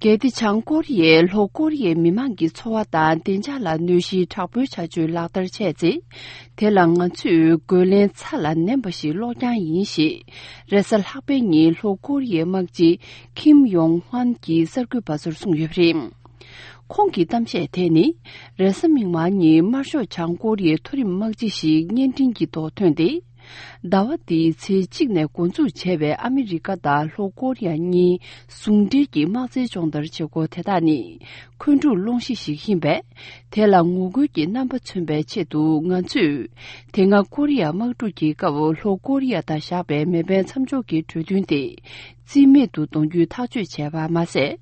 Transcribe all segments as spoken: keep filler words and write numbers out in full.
གལ་ཏེ་བྱང་ཀོ་རི་ཡས་ལྷོ་ཀོ་རི་ཡའི་མི་མང་གི་འཚོ་བ་དང་བདེ་འཇགས་ལ་གནོད་གཞིའི་དྲག་པོའི་བྱ་སྤྱོད་ལག་བསྟར་བྱས་ཚེ། དེ་ལ་ང་ཚོས་རྒོལ་ལན་ཚ་ལ་ནན་པ་ཞིག་སློག་རྐྱང་ཡིན་ཞེས། རེས་གཟའ་ལྷག་པའི་ཉིན་ལྷོ་ཀོ་རི་ཡའི་དམག་སྤྱི་ཁིམ་ཡོང་ཧྥན་གྱིས་གསར་འགོད་པ་ཚོར་གསུངས་ཡོད་པ་རེད། ཁོང་གི་གཏམ་བཤད་དེ་ནི། རེས་གཟའ་མིག་དམར་ཉིན་དམར་ཤོག་བྱང་ཀོ་རི་ཡའི་མཐོ་རིམ་དམག་སྤྱི་ཞིག་བརྙན་འཕྲིན་གྱི་ཐོག་ཐོན་ཏེ། ཟླ་བ་འདིའི་ཚེས་གཅིག་ནས་འགོ་འཛུགས་བྱས་པའི་ཨ་མི་རི་ཀ་དང་ལྷོ་ཀོ་རི་ཡ་གཉིས་ཟུང་འབྲེལ་གྱི་དམག་རྩལ་སྦྱོང་བརྡར་བྱེད་སྒོ་དེ་དག་ནི་འཁོན་འཁྲུག་སློང་གཞི་ཞིག་ཡིན་པས། དེ་ལ་ངོ་རྒོལ་གྱི་རྣམ་པ་མཚོན་པའི་ཆེད་དུ་ང་ཚོས། དེ་སྔ་ཀོ་རི་ཡ་དམག་འཁྲུག་གི་སྐབས་ལྷོ་ཀོ་རི་ཡ་དང་བཞག་པའི་མེ་འཕེན་མཚམས་འཇོག་གི་གྲོས་མཐུན་དེ། རྩིས་མེད་དུ་གཏོང་རྒྱུའི་ཐག་གཅོད་བྱས་པ་མ་ཟད།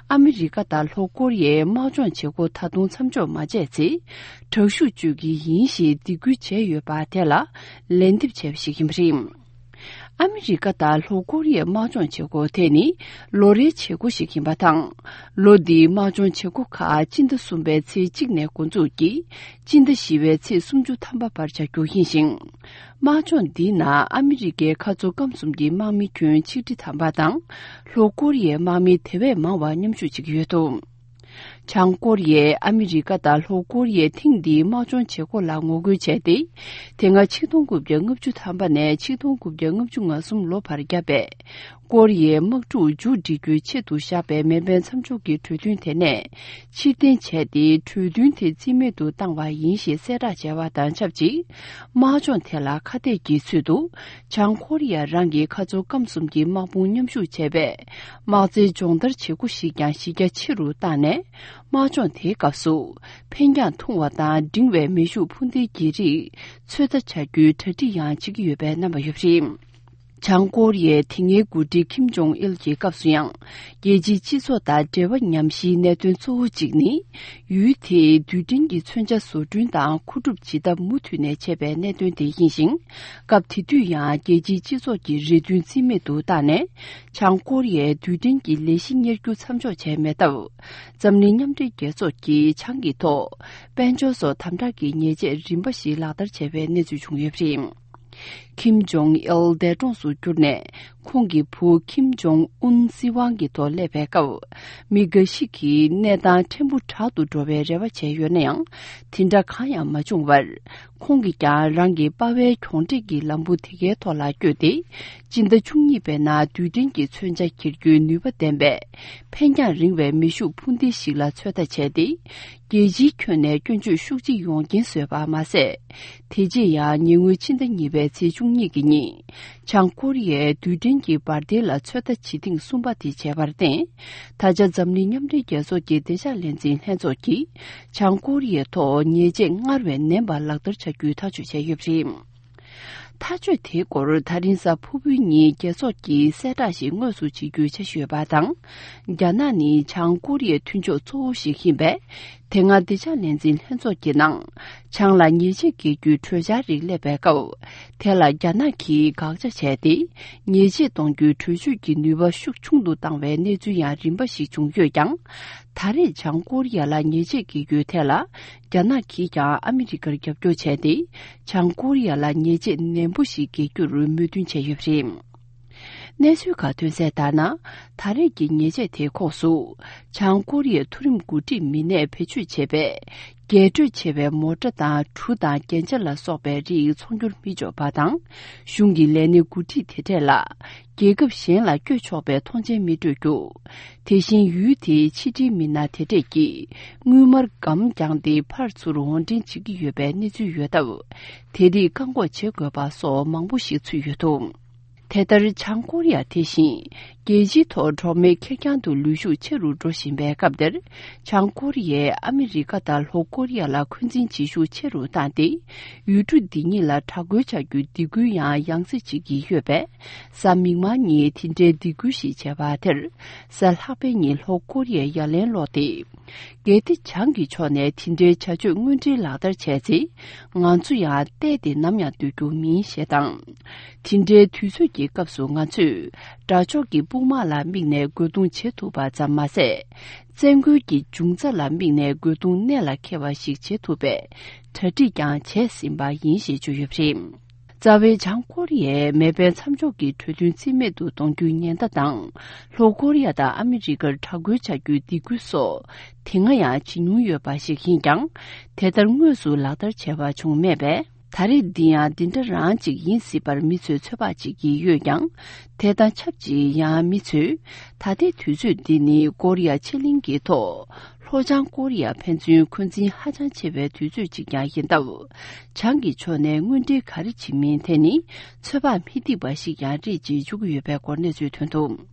ཨ་མི་རི་ཀ་དང་ལྷོ་ཀོ་རི་ཡའི་དམག་སྦྱོང་བྱེད་སྒོ་ད་དུང་མཚམས་འཇོག་མ་བྱས་ཚེ། དྲག་ཤུགས་སྤྱོད་ཀྱི་ཡིན་ཞེས་སྡིགས་སྐུལ་བྱས་ཡོད་པ་དེ་ལ་ལན་འདེབས་བྱས་པ་ཞིག་ཡིན་པ་རེད། ཨ་མི་རི་ཀ་དང་ལྷོ་ཀོ་རི་ཡའི་དམག་སྦྱོང་བྱེད་སྒོ་དེ་ནི་ལོ་རེའི་བྱེད་སྒོ་ཞིག་ཡིན་པ་དང་། ལོ་འདིའི་དམག་སྦྱོང་བྱེད་སྒོ་ཁག་སྤྱི་ཟླ་གསུམ་པའི་ཚེས་གཅིག་ནས་འགོ་འཛུགས་ཀྱིས་སྤྱི་ཟླ་བཞི་པའི་ཚེས་སུམ་ཅུ་ཐམ་པ་བར་བྱ་རྒྱུ་ཡིན་ཞིང་། དམག་སྦྱོང་འདིའི་ནང་ཨ་མི་རི་ཀའི་མཁའ་མཚོ་སྐམ་གསུམ་གྱི་དམག་མི་ཁྱོན་ཆིག་ཁྲི་ཐམ་པ་དང་། ལྷོ་ཀོ་རི་ཡའི་དམག་མི་དེ་བས་མང་བ་མཉམ་ཞུགས་བྱེད་ཀྱི་ཡོད་འདུག། བྱང་ཀོ་རི་ཡས་ཨ་མི་རི་ཀ་དང་ལྷོ་ཀོ་རི་ཡའི་ཐེངས་འདིའི་དམག་སྦྱོང་བྱེད་སྒོ་ལ་ངོ་རྒོལ་བྱས་ཏེ། དེ་སྔ་ཆིག་སྟོང་དགུ་བརྒྱ་ལྔ་བཅུ་ཐམ་པ་ནས་ཆིག་སྟོང་དགུ་བརྒྱ་ལྔ་བཅུ་ང་གསུམ་ལོ་བར་བརྒྱབ་པའི་ཀོ་རི་ཡའི་དམག་འཁྲུག་མཇུག་སྒྲིལ་རྒྱུའི་ཆེད་དུ་བཞག་པའི་མེ་འཕེན་མཚམས་འཇོག་གི་གྲོས་མཐུན་དེ་ནས་ཕྱིར་འཐེན་བྱས་ཏེ། གྲོས་མཐུན་དེ་རྩིས་མེད་དུ་བཏང་བ་ཡིན་ཞེས་གསལ་བསྒྲགས་བྱས་པ་དང་ཆབས་ཅིག། དམག་སྦྱོང་དེ་ལ་ཁ་གཏད་ཀྱི་ཚུལ་དུ། བྱང་ཀོ་རི་ཡ་རང་གི་མཁའ་མཚོ་སྐམ་གསུམ་གྱི་དམག་དཔུང་མཉམ་ཞུགས་བྱས་པའི་དམག་རྩལ་སྦྱོང་བརྡར་བྱེད་སྒོ་ཞིག་ཀྱང་གཞི་རྒྱ་ཆེ་རུ་བཏང་ནས། དམག་སྦྱོང་དེའི་སྐབས་སུ། འཕེན་རྒྱང་ཐུང་བ་དང་འབྲིང་བའི་མེ་ཤུགས་འཕུར་མདེལ་གྱི་རིགས་ཚོད་ལྟ་བྱ་རྒྱུའི་གྲ་སྒྲིག་ཡང་བྱེད་ཀྱི་ཡོད་པའི་རྣམ་པ་ཡོད་པ་རེད། བྱང་ཀོ་རི་ཡའི་དེ་སྔའི་འགོ་ཁྲིད་ཁིམ་ཇོང་ཨིལ་གྱི་སྐབས་སུ་ཡང་། རྒྱལ་སྤྱིའི་སྤྱི་ཚོགས་དང་འབྲེལ་བ་ཉམས་གཞིའི་གནད་དོན་གཙོ་བོ་གཅིག་ནི། ཡུལ་དེའི་རྡུལ་ཕྲན་གྱི་མཚོན་ཆ་བཟོ་སྐྲུན་དང་མཁོ་སྒྲུབ་བྱེད་ཐབས་མུ་མཐུད་ནས་ཆད་པའི་གནད་དོན་དེ་ཡིན་ཞིང་། སྐབས་དེ་དུས་ཡང་རྒྱལ་སྤྱིའི་སྤྱི་ཚོགས་ཀྱི་རེ་འདུན་རྩིས་མེད་དུ་བཏང་ནས། བྱང་ཀོ་རི་ཡའི་རྡུལ་ཕྲན་གྱི་ལས་གཞི་གཉེར་རྒྱུ་མཚམས་འཇོག་བྱས་མེད་སྟབས། འཛམ་གླིང་མཉམ་འབྲེལ་རྒྱལ་ཚོགས་ཀྱིས་བྱང་གི་ཐོག་དཔལ་འབྱོར་སོགས་དམ་དྲག་གི་ཉེས་ཆད་རིམ་པ་ཞིག་ལག་བསྟར་བྱས་པའི་གནས་ཚུལ་བྱུང་ཡོད་པ་རེད། ཁིམ་ཇོང་ཨིལ་འདས་གྲོངས་སུ་གྱུར་ནས། ཁོང་གི་བུ་ཁིམ་ཇོང་ཨུན་སྲིད་དབང་གི་ཐོག་སླེབས་པའི་སྐབས། མི་འགའ་ཞིག་གིས་གནས་སྟངས་ཕྲན་བུ་དྲག་ཏུ་འགྲོ་བའི་རེ་བ་བྱས་ཡོད་ན་ཡང་། དེ་འདྲ་གང་ཡང་མ་བྱུང་བར། ཁོང་གིས་ཀྱང་རང་གི་པ་ཕའི་གྱོང་འབྲེག་གི་ལམ་བུ་དེ་གའི་ཐོག་ལ་བསྐྱོད་དེ། སྤྱི་ཟླ་བཅུ་གཉིས་པའི་ནང་རྡུལ་ཕྲན་གྱི་མཚོན་ཆ་འཁྱེར་རྒྱུའི་ནུས་པ་ལྡན་པའི་འཕེན་རྒྱང་རིང་བའི་མེ་ཤུགས་འཕུར་མདེལ་ཞིག་ལ་ཚོད་ལྟ་བྱས་ཏེ། རྒྱལ་སྤྱིའི་ཁྱོན་ནས་སྐྱོན་བརྗོད་ཤུགས་ཆེ་ཡོང་རྐྱེན་བཟོས་པ་མ་ཟད། དེ་རྗེས་ཡང་ཉེ་སྔོན་ཕྱི་ཟླ་གཉིས་པའི་ཚེས་བཅུ་གཉིས་ཀྱི་ཉིན། བྱང་ཀོ་རི་ཡའི་རྡུལ་ཕྲན་གྱི་འབར་མདེལ་ལ་ཚོད་ལྟ་བྱེད་ཐེངས་གསུམ་པ་དེ་བྱས་པར་བརྟེན། ད་ཆ་འཛམ་གླིང་མཉམ་འབྲེལ་རྒྱལ་ཚོགས་ཀྱི་བདེ་འཇགས་ལས་འཛིན་ལྷན་ཚོགས་ཀྱིས་བྱང་ཀོ་རི་ཡའི་ཐོག་ཉེས་ཆད་སྔར་བས་ནན་པ་ལག་བསྟར་བྱ་རྒྱུའི་ཐག་གཅོད་བྱས་ཡོད་པ་རེད། ཐག་གཅོད་དེའི་སྐོར་ད་རིང་གཟའ་ཕུར་བུའི་ཉིན་རྒྱལ་ཚོགས་ཀྱིས་གསལ་བསྒྲགས་ཤིག་དངོས་སུ་བྱེད་རྒྱུའི་འཆར་གཞི་ཡོད་པ་དང་། རྒྱ་ནག་ནི་བྱང་ཀོ་རི་ཡའི་མཐུན་ཕྱོགས་གཙོ་བོ་ཞིག་ཡིན་པས། དེ་སྔ་བདེ་འཇགས་ལས་འཛིན་ལྷན་ཚོགས་ཀྱི་ནང་། བྱང་ལ་ཉེས་ཆད་འགེལ་རྒྱུའི་གྲོས་འཆར་རིགས་སླེབས་པའི་སྐབས། དེ་ལ་རྒྱ་ནག་གིས་དགག་བྱ་བྱས་ཏེ། ཉེས་ཆད་གཏོང་རྒྱུའི་གྲོས་ཆོད་ཀྱི་ནུས་པ་ཤུགས་ཆུང་དུ་བཏང་བའི་གནས་ཚུལ་ཡང་རིམ་པ་ཞིག་བྱུང་ཡོད་ཀྱང་། ད་རེས་བྱང་ཀོ་རི་ཡ་ལ་ཉེས་ཆད་འགེལ་རྒྱུའི་ཐད་ལ། རྒྱ་ནག་གིས་ཀྱང་ཨ་མི་རི་ཀར་རྒྱབ་སྐྱོར་བྱས་ཏེ། བྱང་ཀོ་རི་ཡ་ལ་ཉེས་ཆད་ནན་པོ་ཞིག་འགེལ་རྒྱུར་མོས་མཐུན་བྱས་ཡོད་པ་རེད། གནས་ཚུལ་ཁག་ཐོན་གསལ་ལྟར་ན། ད་རེས་ཀྱི་ཉེས་ཆད་དེའི་ཁོངས་སུ། བྱང་ཀོ་རི་ཡའི་མཐོ་རིམ་འགོ་ཁྲིད་མི་སྣས་བེད་སྤྱོད་བྱས་པའི། རྒྱས་སྤྲོས་ཆེ་བའི་མོ་ཊ་དང་གྲུ་དང་རྒྱན་ཆ་ལ་སོགས་པའི་རིགས་ཚོང་སྒྱུར་མི་ཆོག་པ་དང་། གཞུང་གི་ལས་སྣེ་འགོ་ཁྲིད་དེ་གྲས་ལ། རྒྱལ་ཁབ་གཞན་ལ་བསྐྱོད་ཆོག་པའི་ཐོངས་མཆན་མི་སྤྲོད་རྒྱུ། དེ་བཞིན་ཡུལ་དེའི་ཕྱི་འབྲེལ་མི་སྣ་དེ་གྲས་ཀྱིས་དངུལ་སྨར་སྒམ་བརྒྱངས་ཏེ་ཕར་ཚུར་འོར་འདྲེན་བྱེད་ཀྱི་ཡོད་པའི་གནས་ཚུལ་ཡོད་སྟབས། དེ་རིགས་བཀག་འགོག་བྱེད་དགོས་པ་སོགས་མང་པོ་ཞིག་ཚུད་ཡོད་འདུག། དེ་ལྟར་བྱང་ཀོ་རི་ཡ་དེ་བཞིན་རྒྱལ་སྤྱིའི་ཐོག་གྲོགས་མེད་ཁེར་རྐྱང་དུ་ལུས་ཤུགས་ཆེ་རུ་འགྲོ་བཞིན་པའི་སྐབས་འདིར། བྱང་ཀོ་རི་ཡས་ཨ་མི་རི་ཀ་དང་ལྷོ་ཀོ་རི་ཡ་ལ་འཁོན་འཛིན་བྱེད་ཤུགས་ཆེ་རུ་བཏང་སྟེ། ཡུལ་གྲུ་འདི་གཉིས་ལ་དྲག་རྒོལ་བྱ་རྒྱུའི་སྡིགས་སྐུལ་ཡང་ཡང་སེ་བྱེད་ཀྱི་ཡོད་པས། གཟའ་མིག་དམར་ཉིན་དེ་འདྲའི་སྡིགས་སྐུལ་ཞིག་བྱས་པ་དེར། གཟའ་ལྷག་པའི་ཉིན་ལྷོ་ཀོ་རི་ཡས་ཡ་ལན་སློག་སྟེ། གལ་ཏེ་བྱང་གི་ཕྱོགས་ནས་དེ་འདྲའི་བྱ་སྤྱོད་དངོས་འབྲེལ་ལག་བསྟར་བྱས་ཚེ། ང་ཚོ་ཡང་བལྟས་ཏེ་ནམ་ཡང་སྡོད་རྒྱུ་མིན་ཞེས་དང་། དེ་འདྲའི་དུས་ཚོད་ཀྱི་སྐབས་སུ་ང་ཚོས་དགྲ་ཕྱོགས་ཀྱི་དཔུང་དམག་ལ་དམིགས་ནས་རྒོལ་རྡུང་བྱེད་ཐུབ་པ་ཙམ་མ་ཟད། བཙན་རྒོལ་གྱི་འབྱུང་རྩ་ལ་དམིགས་ནས་རྒོལ་རྡུང་གནད་ལ་འཁེལ་བ་ཞིག་བྱེད་ཐུབ་པའི་གྲ་སྒྲིག་ཀྱང་བྱས་ཟིན་པ་ཡིན་ཞེས་བརྗོད་ཡོད་པ་རེད། རྩ་བའི་བྱང་ཀོ་རི་ཡས་མེ་འཕེན་མཚམས་འཇོག་གི་གྲོས་མཐུན་རྩིས་མེད་དུ་གཏོང་རྒྱུའི་ཉེན་བརྡ་དང་། ལྷོ་ཀོ་རི་ཡ་དང་ཨ་མི་རི་ཀར་དྲག་རྒོལ་བྱ་རྒྱུའི་སྡིགས་སྐུལ་སོགས་དེ་སྔ་ཡང་བྱེད་མྱོང་ཡོད་པ་ཞིག་ཡིན་ཀྱང་། དེ་ལྟར་དངོས་སུ་ལག་བསྟར་བྱས་པ་བྱུང་མེད་པས། ད་རེས་འདི་ཡང་འདི་འདྲ་རང་ཅིག་ཡིན་སྲིད་པར་མི་ཚོས་ཚོད་དཔག་བྱེད་ཀྱི་ཡོད་ཀྱང་། དེ་དང་ཆབས་ཅིག་ཡང་མི་ཚོས་ད་ལྟའི་དུས་ཚོད་འདི་ནི་ཀོ་རི་ཡ་ཕྱེད་གླིང་གི་ཐོག་ལྷོ་བྱང་ཀོ་རི་ཡ་ཕན་ཚུན་འཁོན་འཛིན་ཧ་ཅང་ཆེ་བའི་དུས་ཚོད་ཅིག་ཀྱང་ཡིན་སྟབས། བྱང་གི་ཕྱོགས་ནས་དངོས་འབྲེལ་ག་རེ་བྱེད་མིན་དེ་ནི་ཚོད་དཔག་མི་ཐིག་པ་ཞིག་ཀྱང་རེད་ཅེས་བརྗོད་ཀྱི་ཡོད་པའི་སྐོར་གནས་ཚུལ་ཐོན་འདུག